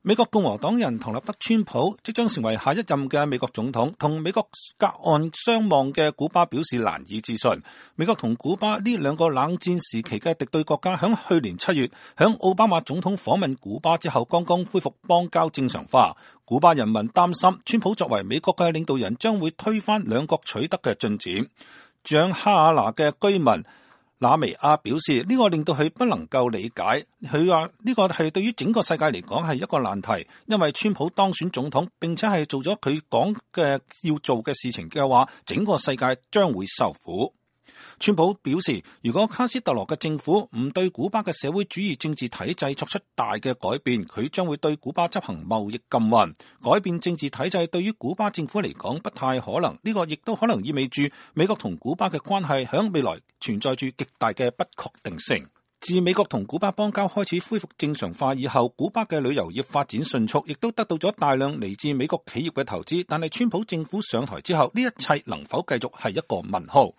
美國共和黨人唐納德·川普即將成為下一任嘅美國總統，同美國隔岸相望嘅古巴表示難以置信。美國同古巴呢兩個冷戰時期嘅敵對國家，響去年7月響奧巴馬總統訪問古巴之後，剛剛恢復邦交正常化。古巴人民擔心川普作為美國嘅領導人，將會推翻兩國取得嘅進展。住哈瓦那嘅居民那維亞表示，呢個令到佢不能夠理解。佢話呢個係對於整個世界嚟講係一個難題，因為川普當選總統並且係做咗佢講嘅要做嘅事情嘅話，整個世界將會受苦。川普表示，如果卡斯特羅嘅政府唔對古巴嘅社會主義政治體制作出大嘅改變，佢將會對古巴執行貿易禁運。改變政治體制對於古巴政府嚟講不太可能，呢個亦都可能意味住美國同古巴嘅關係響未來存在住極大嘅不確定性。自美國同古巴邦交開始恢復正常化以後，古巴嘅旅遊業發展迅速，亦都得到咗大量嚟自美國企業嘅投資。但係川普政府上台之後，呢一切能否繼續係一個問號。